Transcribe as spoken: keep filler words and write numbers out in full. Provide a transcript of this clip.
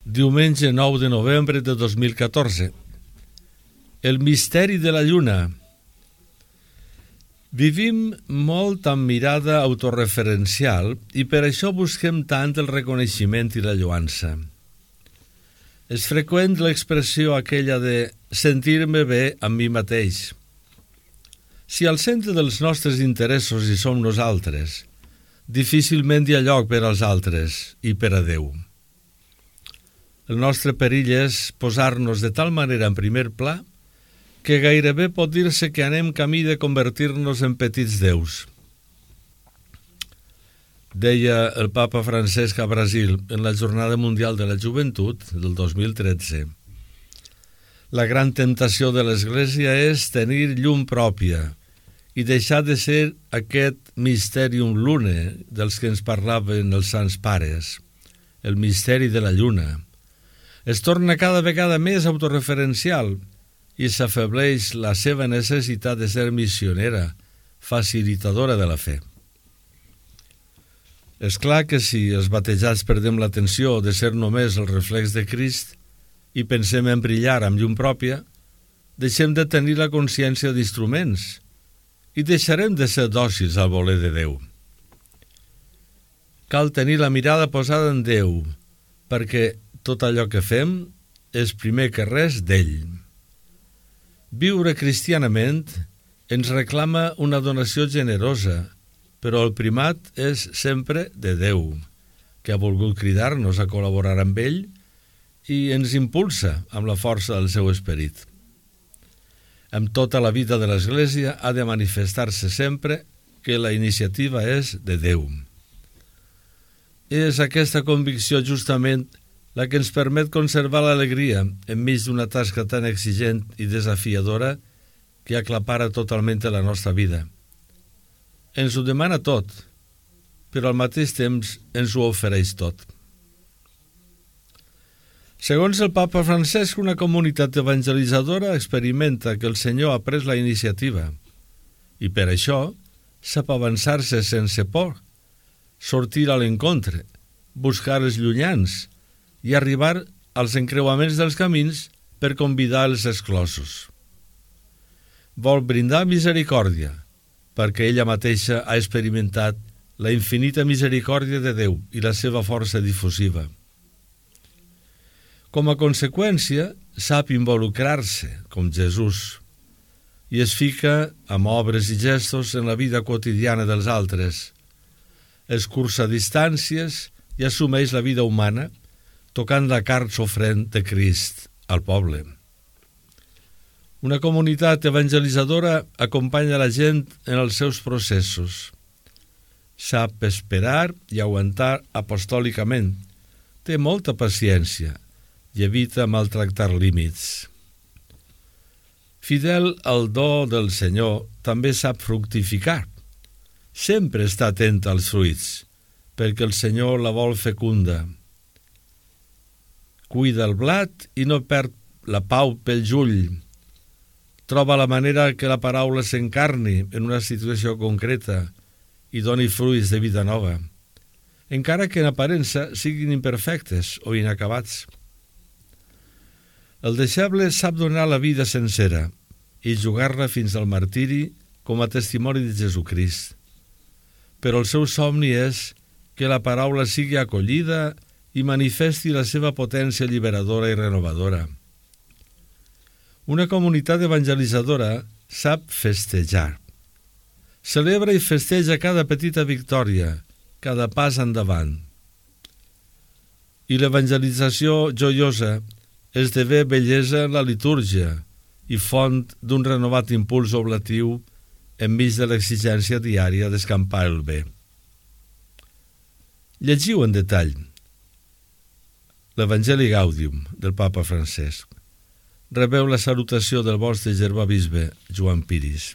Diumenge nou de novembre de dos mil catorze. El misteri de la lluna. Vivim molt amb mirada autorreferencial i per això busquem tant el reconeixement i la lloança. És freqüent l'expressió aquella de sentir-me bé amb mi mateix. Si al centre dels nostres interessos hi som nosaltres, difícilment hi ha lloc per als altres i per a Déu. El nostre perill és posar-nos de tal manera en primer pla que gairebé pot dir-se que anem camí de convertir-nos en petits déus. Deia el papa Francesc a Brasil en la Jornada Mundial de la Joventut del dos mil tretze. La gran temptació de l'Església és tenir llum pròpia i deixar de ser aquest mysterium lunae dels que ens parlaven els sants pares, el misteri de la lluna. Es torna cada vegada més autorreferencial i s'afebleix la seva necessitat de ser missionera, facilitadora de la fe. És clar que si els batejats perdem l'atenció de ser només el reflex de Crist i pensem en brillar amb llum pròpia, deixem de tenir la consciència d'instruments i deixarem de ser dòcils al voler de Déu. Cal tenir la mirada posada en Déu, perquè tot allò que fem és primer que res d'ell. Viure cristianament ens reclama una donació generosa, però el primat és sempre de Déu, que ha volgut cridar-nos a col·laborar amb ell i ens impulsa amb la força del seu esperit. Amb tota la vida de l'Església ha de manifestar-se sempre que la iniciativa és de Déu. És aquesta convicció justament la que ens permet conservar l'alegria enmig d'una tasca tan exigent i desafiadora que aclapara totalment la nostra vida. Ens ho demana tot, però al mateix temps ens ho ofereix tot. Segons el papa Francesc, una comunitat evangelitzadora experimenta que el Senyor ha pres la iniciativa i per això sap avançar-se sense por, sortir a l'encontre, buscar els llunyans i arribar als encreuaments dels camins per convidar els exclosos. Vol brindar misericòrdia, perquè ella mateixa ha experimentat la infinita misericòrdia de Déu i la seva força difusiva. Com a conseqüència, sap involucrar-se, com Jesús, i es fica amb obres i gestos en la vida quotidiana dels altres. Escurça distàncies i assumeix la vida humana, tocant la carn sofrent de Crist al poble. Una comunitat evangelitzadora acompanya la gent en els seus processos. Sap esperar i aguantar apostòlicament. Té molta paciència i evita maltractar límits. Fidel al do del Senyor, també sap fructificar. Sempre està atent als fruits, perquè el Senyor la vol fecunda. Cuida el blat i no perd la pau pel jull. Troba la manera que la paraula s'encarni en una situació concreta i doni fruits de vida nova, encara que en aparença siguin imperfectes o inacabats. El deixeble sap donar la vida sencera i jugar-la fins al martiri com a testimoni de Jesucrist. Però el seu somni és que la paraula sigui acollida i manifesti la seva potència alliberadora i renovadora. Una comunitat evangelitzadora sap festejar. Celebra i festeja cada petita victòria, cada pas endavant. I l'evangelització joiosa esdevé bellesa en la litúrgia i font d'un renovat impuls oblatiu enmig de l'exigència diària d'escampar el bé. Llegiu en detall l'Evangeli Gaudium del papa Francesc. Rebeu la salutació del vostre germà bisbe Joan Piris.